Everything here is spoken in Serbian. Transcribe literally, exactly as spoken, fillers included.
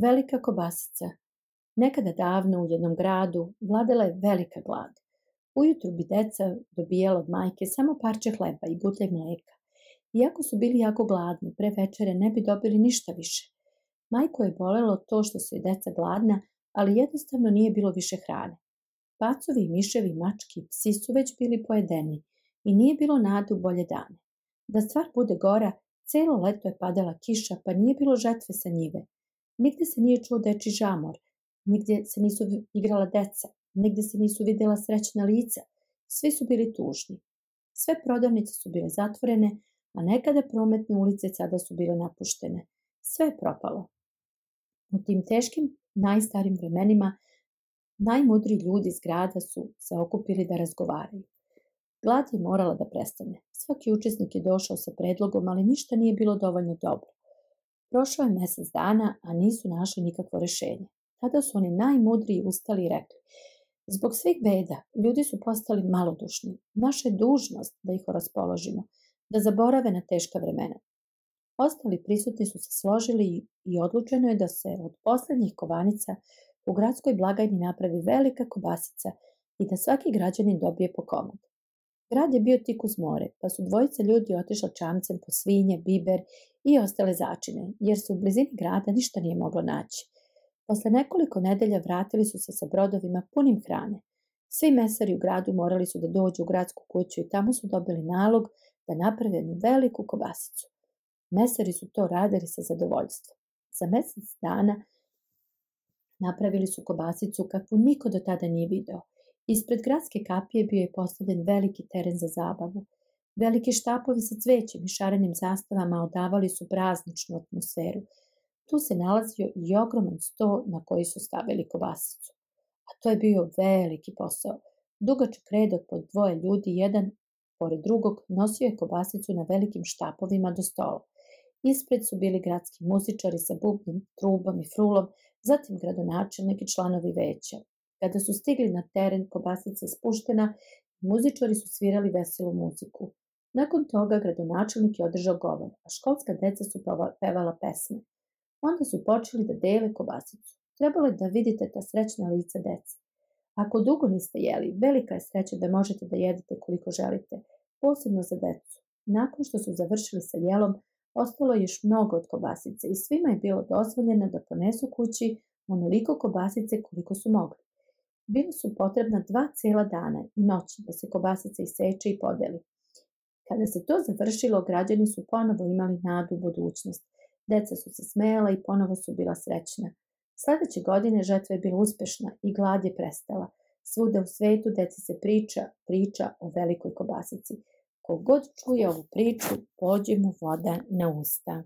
Velika kobasica. Nekada davno u jednom gradu vladala je velika glad. Ujutru bi deca dobijala od majke samo parče hleba i gutlje mleka. Iako su bili jako gladni, pre večere ne bi dobili ništa više. Majku je bolelo to što su i deca gladna, ali jednostavno nije bilo više hrane. Pacovi, miševi, mački i psi su već bili pojedeni i nije bilo nade u bolje dane. Da stvar bude gora, celo leto je padala kiša, pa nije bilo žetve sa njive. Nigde se nije čuo dečji žamor, nigdje se nisu igrala deca, nigde se nisu vidjela srećna lica. Svi su bili tužni. Sve prodavnice su bile zatvorene, a nekada prometne ulice sada su bile napuštene. Sve je propalo. U tim teškim, najstarim vremenima najmudriji ljudi iz grada su se okupili da razgovaraju. Glad je morala da prestane. Svaki učesnik je došao sa predlogom, ali ništa nije bilo dovoljno dobro. Prošao je mjesec dana, a nisu našli nikakvo rešenje. Tada su oni najmudriji ustali i rekli: zbog svih beda, ljudi su postali malodušni. Naša je dužnost da ih raspoložimo, da zaborave na teška vremena. Ostali prisutni su se složili i odlučeno je da se od posljednjih kovanica u gradskoj blagajni napravi velika kobasica i da svaki građanin dobije po komad. Grad je bio tik uz more, pa su dvojica ljudi otišla čamcem po svinje, biber i ostale začine, jer se u blizini grada ništa nije moglo naći. Posle nekoliko nedelja vratili su se sa brodovima punim hrane. Svi mesari u gradu morali su da dođu u gradsku kuću i tamo su dobili nalog da naprave jednu veliku kobasicu. Mesari su to radili sa zadovoljstvom. Za mjesec dana napravili su kobasicu kakvu niko do tada nije video. Ispred gradske kapije bio je postavljen veliki teren za zabavu. Veliki štapovi sa cvećem i šarenim zastavama odavali su prazničnu atmosferu. Tu se nalazio i ogroman sto na koji su stavili kobasicu. A to je bio veliki posao. Dugačak red od po dvoje ljudi, jedan pored drugog, nosio je kobasicu na velikim štapovima do stola. Ispred su bili gradski muzičari sa bubnjem, trubom i frulom, zatim gradonačelnik i članovi veća. Kada su stigli na teren, kobasica je spuštena i muzičari su svirali veselu muziku. Nakon toga gradonačelnik je održao govor, a školska deca su pevala pesme. Onda su počeli da dele kobasicu. Trebalo je da vidite ta srećna lica dece. Ako dugo niste jeli, velika je sreća da možete da jedete koliko želite, posebno za decu. Nakon što su završili sa jelom, ostalo je još mnogo od kobasice i svima je bilo dozvoljeno da ponesu kući onoliko kobasice koliko su mogli. Bilo su potrebna dva cela dana i noći da se kobasica iseče i podeli. Kada se to završilo, građani su ponovo imali nadu u budućnost. Deca su se smejala i ponovo su bila srećna. Sljedeće godine žetva je bila uspešna i glad je prestala. Svuda u svetu deci se priča, priča o velikoj kobasici. Ko god čuje ovu priču, pođe mu voda na usta.